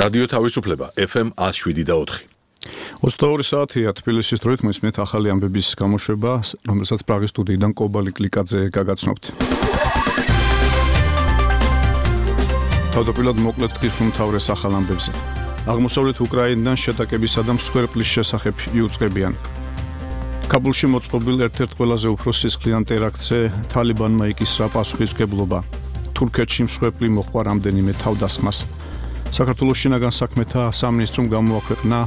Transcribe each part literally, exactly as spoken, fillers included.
რადიო თავისუფლება ეფ ემ one oh seven და four. ოცდაორი საათია თბილისის დროით მოისმენთ ახალი ამბების გამოშვება, რომელსაც პრაღის სტუდიიდან კობალი კლიკაძე გაგაცნობთ. თავდაპირველად მოკლედ დღის უმთავრეს ახალ ამბებზე. აღმოსავლეთ უკრაინიდან შეტაკებისა და მსხვერპლის შესახებ იუწყებიან. კაბულში მოწყობილ ერთ-ერთ ყველაზე უფრო სისხლიან ტერაქტზე თალიბანმა იკისრა პასუხისმგებლობა. თურქეთში მსხვერპლი მოჰყვა რამდენიმე თავდასხმას. საქართველოს შინაგან საქმეთა სამინისტრომ გამოაქვეყნა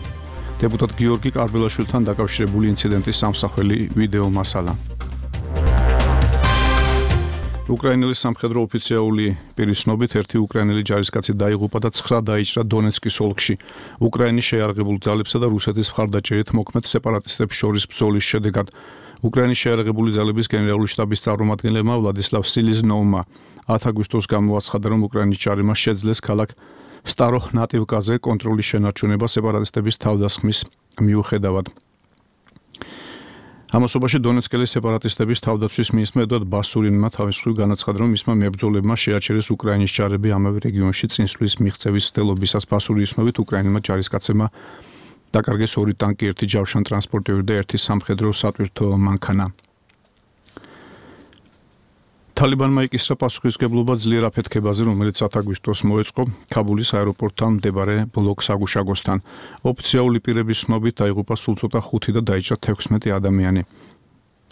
დეპუტატ გიორგი კარბელაშვილთან დაკავშირებული ინციდენტის სამსახველი ვიდეო მასალა. უკრაინელი სამხედრო ოფიციალური პირის ცნობით ერთი უკრაინელი ჯარისკაცი დაიღუპა და ცხრა დაიჭრა დონეცკის ოლქში. უკრაინის შეიარაღებულ ძალებსა და რუსეთის მხარდაჭერით მოქმედ სეპარატისტებს შორის ბრძოლის შედეგად უკრაინის შეიარაღებული ძალების გენერალური შტაბის წარმომადგენლებმა ვლადისლავ სილიზნოვმა ათი აგვისტოს გამოაცხადა, რომ უკრაინის ჯარებმა შეძლეს ქალაქ სტაროჰნატივკაზე კონტროლის შენარჩუნება სეპარატისტების თავდასხმის მიუხედავად. ამასობაში დონეცკელი სეპარატისტების თავდაცვის მინისტრმა ედვარდ ბასურინმა თავის მხრივ განაცხადა, რომ მისმა მებრძოლებმა შეაჩერეს უკრაინის ჯარები ამავე რეგიონში წინსვლის მიღწევის ცდილობისას. ბასურინის ცნობით უკრაინელმა ჯარისკაცებმა დაკარგეს ორი ტანკი, ერთი ჯავშან ტრანსპორტიორი და ერთი სამხედრო სატვირთო მანქანა. თალიბანმა იკისრა პასუხისმგებლობა ძლიერ აფეთქებაზე, რომელიც ათი აგვისტოს მოეწყო ქაბულის აეროპორტთან მდებარე ბლოკ საგუშაგოსთან. ოფიციალური პირების ცნობით დაიღუპა სულ ცოტა ხუთი და დაიჭრა თექვსმეტი ადამიანი.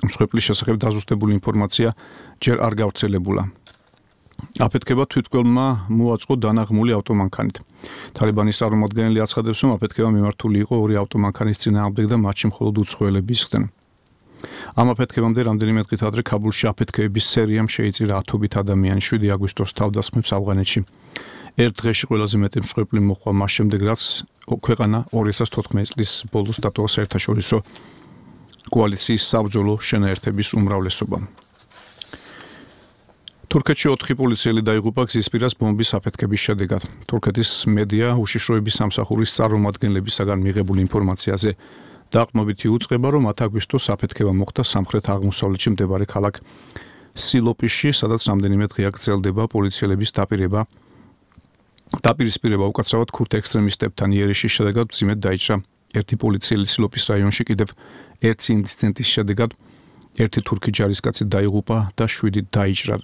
მსხვერპლის შესახებ დაზუსტებული ინფორმაცია ჯერ არ გავრცელებულა. აფეთქება თვითმკვლელმა მოაწყო დანაღმული ავტომანქანით. თალიბანის წარმომადგენელი აცხადებს, რომ აფეთქება მიმართული იყო ორი ავტომანქანის წინააღმდეგ და მათში მხოლოდ უცხოელები ისხდნენ. ამ აფეთქებამდე რამდენიმე დღით ადრე ქაბულში აფეთქებების სერიამ შეიწირა ათობით ადამიანი. შვიდი აგვისტოს თავდასხმებს ავღანეთში. ერთ დღეში ყველაზე მეტი მსხვერპლი მოჰყვა მას შემდეგ, რაც ქვეყანა ორი ათას თოთხმეტი წლის ბოლოს დატოვა საერთაშორისო კოალიციის საბრძოლო შენაერთების უმრავლესობა. თურქეთში ოთხი პოლიციელი დაიღუპა გზისპირას ბომბის აფეთქების შედეგად. თურქეთის მედია უშიშროების სამსახურის წარმომადგენლებისაგან მიღებული ინფორმაციაზე დაყრდნობით იუწყება, რომ ათი აგვისტოს აფეთქება მოხდა სამხრეთ აღმოსავლეთში მდებარე ქალაქ სილოპისში, სადაც რამდენიმე დღეა გრძელდება პოლიციელების დაპირება. დაპირისპირება უკაცრავად ქურთ ექსტრემისტებთან იერიშის შედეგად მძიმედ დაიჭრა ერთი პოლიციელი სილოპის რაიონში, კიდევ ერთი ინციდენტის შედეგად ერთი თურქი ჯარისკაცი დაიღუპა და შვიდი დაიჭრა.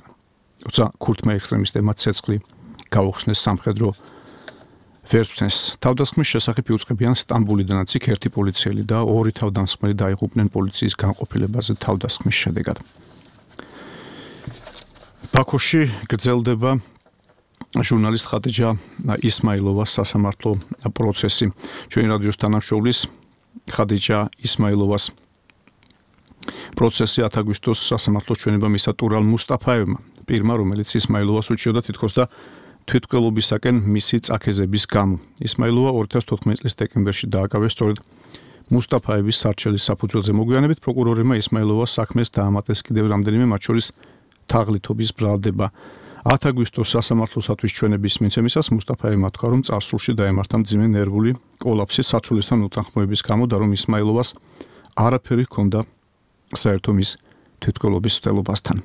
თუმცა ქურთმა ექსტრემისტებმა ცეცხლი გაუხსნეს სამხედრო ვერტმფრენს. თავდასხმის შესახებ იუწყებიან სტამბულიდანაც იქ ერთი პოლიციელი და ორი თავდამსხმელი დაიღუპნენ პოლიციის განყოფილებაზე თავდასხმის შედეგად. ბაქოში გრძელდება ჟურნალისტ ხადიჯა ისმაილოვას სასამართლო პროცესი. ჩვენი რადიოს თანამშრომლის ხადიჯა ისმაილოვას პროცესი ათი აგვისტოს სასამართლოს ჩვენება მისცა ტურალ მუსტაფაევმა, პირმა, რომელიც ისმაილოვას უჩიოდა თითქოს და თვითმკვლელობისაკენ მისი წაქეზების გამო. ისმაილოვა ორი ათას თოთხმეტი წლის დეკემბერში დააკავეს სწორედ მუსტაფაევის სარჩელის საფუძველზე. მოგვიანებით პროკურორებმა ისმაილოვას საქმეს დაამატეს კიდევ რამდენიმე, მათ შორის თაღლითობის ბრალდება. ათი აგვისტოს სასამართლოსათვის ჩვენების მიცემისას მუსტაფაევმა თქვა, რომ წარსულში დაემართა მძიმე ნერვული კოლაფსი საცვლისთან უთანხმოების გამო და რომ ისმაილოვას არაფერი ჰქონდა საერთო მის თვითმკვლელობის ცდილობასთან.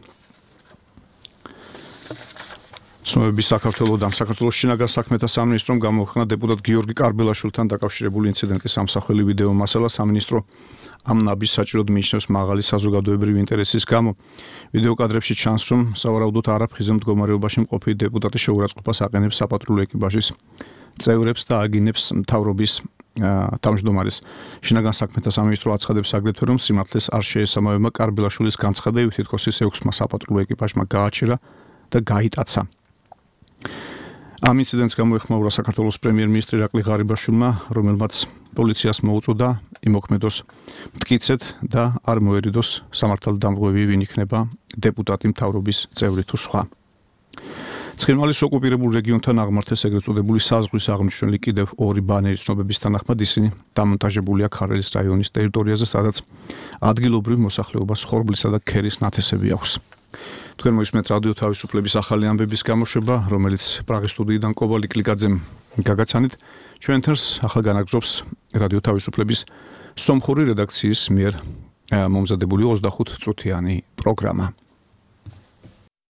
ცნობები საქართველოსთან საქართველოს შინაგან საქმეთა სამინისტრომ გამოაქვეყნა დეპუტატ გიორგი კარბელაშვილთან დაკავშირებული ინციდენტის სამსახველი ვიდეო მასალა. სამინისტრო ამ ნაბის საჭიროდ მიიჩნევს მაღალი საზოგადოებრივი ინტერესის გამო. ვიდეო კადრებში ჩანს, რომ სავარაუდოდ არაფხიზელ მდგომარეობაში მყოფი დეპუტატი შეურაცხყოფას აყენებს საპატრულო ეკიპაჟის წევრებს და აგინებს მთავრობის თავმჯდომარეს. შინაგან საქმეთა სამინისტრო აცხადებს აგრეთვე, რომ სიმართლეს არ შეესაბამება კარბელაშვილის განცხადებები, თითქოს ის ექვსმა საპატრულო ეკიპაჟმა გააჩერა და გაიტაცა. ამ ინციდენტს გამოეხმაურა საქართველოს პრემიერ-მინისტრი ირაკლი ღარიბაშვილმა, რომელმაც პოლიციას მოუწოდა იმოქმედოს მტკიცედ და არ მოერიდოს სამართალდამღვევი, ვინ იქნება დეპუტატი, მთავრობის წევრი თუ სხვა. ცხინვალის ოკუპირებულ რეგიონთან აღმართეს ეგრეთ წოდებული საზღვის აღმნიშვნელი კიდევ ორი ბანერი. ცნობების თანახმად ისინი დამონტაჟებულია ქარელის რაიონის ტერიტორიაზე, სადაც ადგილობრივ მოსახლეობას ხორბლისა და ქერის ნათესები აქვს. თქვენ მოისმენთ რადიო თავისუფლების ახალი ამბების გამოშვება, რომელიც პრაღის სტუდიიდან კობალი კლიკაძემ გაგაცანით. ჩვენ თერს ახლა განაგზობს რადიო თავისუფლების სომხური რედაქციის მიერ მომზადებული ოცდახუთ წუთიანი პროგრამა.